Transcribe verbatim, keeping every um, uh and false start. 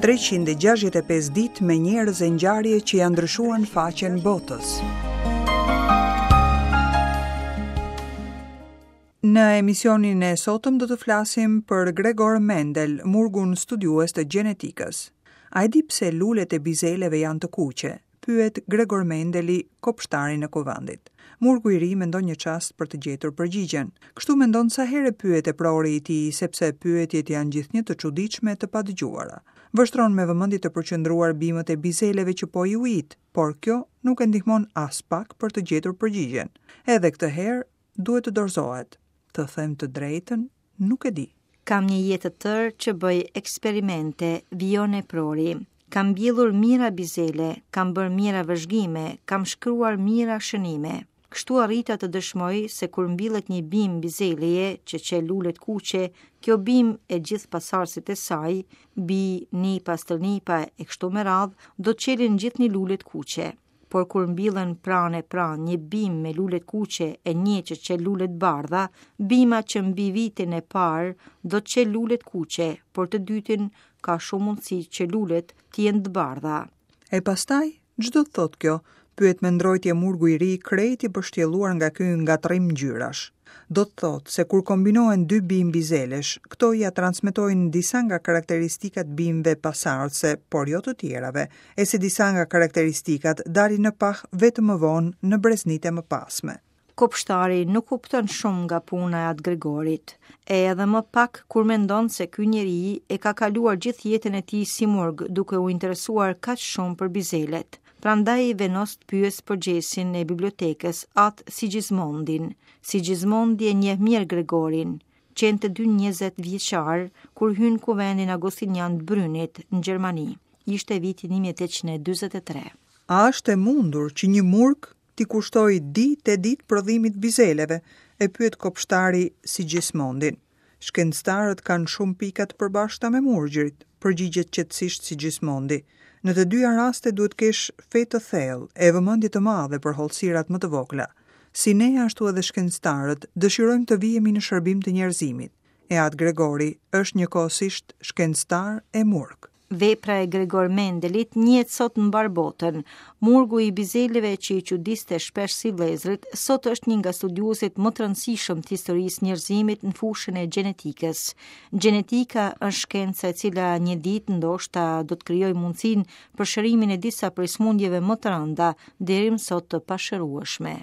treqind e gjashtëdhjetë e pesë ditë me njerëz e ngjarje që ja ndryshuan faqen botës. Në emisionin e sotëm do të flasim për Gregor Mendel, murgun studiues të gjenetikës. A e di pse lulet e bizeleve janë të kuqe? Pyet Gregor Mendeli, kopshtarin e kuvendit. Murgu i ri mendon një çast për të gjetur përgjigjen. Kështu mendon sa herë pyet e prori i tij, sepse pyetjet janë gjithnjë të çuditshme e të padëgjuara. Vështron me vëmendje të përqendruar bimët e bizeleve që po i ujit, por kjo nuk e ndihmon as pak për të gjetur përgjigjen. Edhe këtë herë duhet të dorëzohet. Të them të drejtën, nuk e di. Kam një jetë të tërë që bëj eksperimente, vijon e prori. Kam mbjellur mijëra bizele, kam bërë mijëra vëzhgime, kam shkruar mijëra shënime. Kështu arrita të dëshmoj se kur mbillet një bimë bizeleje që qel lulet kuqe, kjo bimë e gjithë pasardhësit e saj, bi, nipa, stërnipa e kështu me radhë, do të çelin gjithë një lulet kuqe. Por kur mbillen pranë e pranë një bimë me lulet kuqe e një që çel lulet bardha, bima që mbi vitin e parë do të çel lulet kuqe, por të dytin ka shumë mundësi që lulet të jenë të bardha. E pastaj, ç'do të thotë kjo? Pyet me ndrojtje murgu i ri, krejt i pështjelluar nga ky ngatërrim ngjyrash. Do të thotë se kur kombinohen dy bimë bizelesh, këto ja transmetojnë disa nga karakteristikat bimëve pasardhëse, por jo të tjerave, e se disa nga karakteristikat dalin në pah vetëm më vonë në breznite më pasme. Kopshtari nuk kupton shumë nga puna e atë Gregorit, e edhe më pak kur mendon se ky njeri e ka kaluar gjithë jetën e tij si murg duke u interesuar kaq shumë për bizelet. Prandaj vendos të pyes përgjegjësin e bibliotekës, atë Sigismondin. Sigismondi e njeh mirë Gregorin. Qenë të dy njëzet vjeçar kur hyn kuvendin Agostinian të Brynit në Gjermani. Ishte viti një mijë e tetëqind e dyzet e tre. A është e mundur që një murg t'i kushtoj ditë e ditë prodhimit bizeleve, e pyet kopshtari Sigismondin. Shkencëtarët kanë shumë pika të përbashkëta me murgjërit, përgjigjet qetësisht Sigismondi. Në të dyja raste duhet kesh fe të thellë e vëmendje të madhe për hollësirat më të vogla. Si ne ashtu edhe shkencëtarët dëshirojmë të vihemi në shërbim të njerëzimit. E atë Gregori është njëkohësisht shkencëtar e murg. Vepra e Gregor Mendelit njihet sot në mbar botën. Murgu i bizeleve që i çudiste shpesh si vëllezërit, sot është një nga studiuesit më të rëndësishëm të historisë njerëzimit në fushën e gjenetikës. Gjenetika është shkenca e cila një ditë ndoshta do të krijojë mundësinë për shërimin e disa prej sëmundjeve më të rënda, deri më sot të pashërueshme.